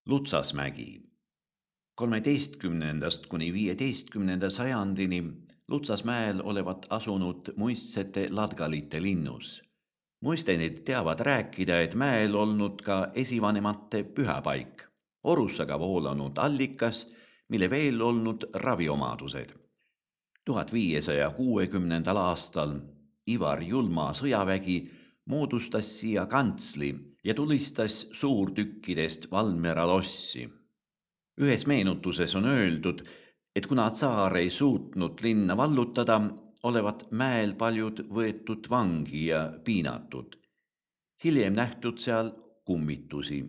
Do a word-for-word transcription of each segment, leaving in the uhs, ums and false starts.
Lutsasmägi. kolmeteistkümnendast kuni viieteistkümnenda sajandini Lutsasmäel olevat asunud muistsete ladgalite linnus. Muistenid teavad rääkida, et mäel olnud ka esivanemate pühapaik, orussaga voolanud allikas, mille veel olnud raviomadused. tuhat viiesaja kuuekümnendal aastal Ivar Julma sõjavägi moodustas siia kantsli ja tulistas suurtükkidest Valmiera lossi. Ühes meenutuses on öeldud, et kuna tsaar ei suutnud linna vallutada, olevat mäel paljud võetud vangi ja piinatud. Hiljem nähtud seal kummitusi.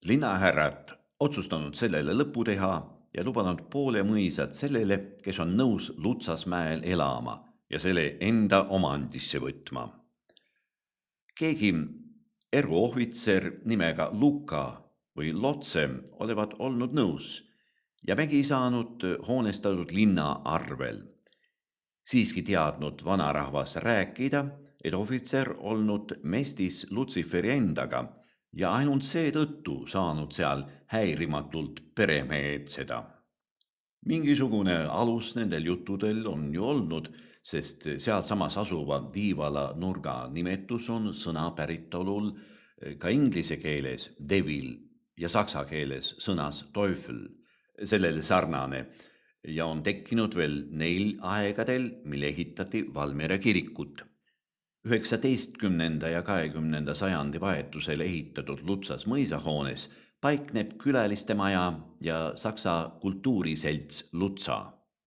Linnahärrad otsustanud sellele lõpu teha ja lubanud poole mõisad sellele, kes on nõus Lutsasmäel elama ja selle enda omandisse võtma. Keegi eruohvitser nimega Luka või Lotse olevat olnud nõus ja mägi saanud hoonestatud linna arvel. Siiski teadnud vanarahvas rääkida, et ohvitser olnud mestis Lutsiferi endaga ja ainult seetõttu saanud seal häirimatult peremeheetseda. Mingisugune alus nendel juttudel on ju olnud, sest sealsamas asuva Tiivala nurga nimetus on sõna päritolul ka inglise keeles devil ja saksa keeles sõnas teufel, sellele sarnane, ja on tekkinud veel neil aegadel, mil ehitati Valmiera kirikut. üheksateistkümnenda ja kahekümnenda sajandi vahetusel ehitatud Lutsas mõisahoones paikneb külaliste maja ja saksa kultuuriselts Lutsa.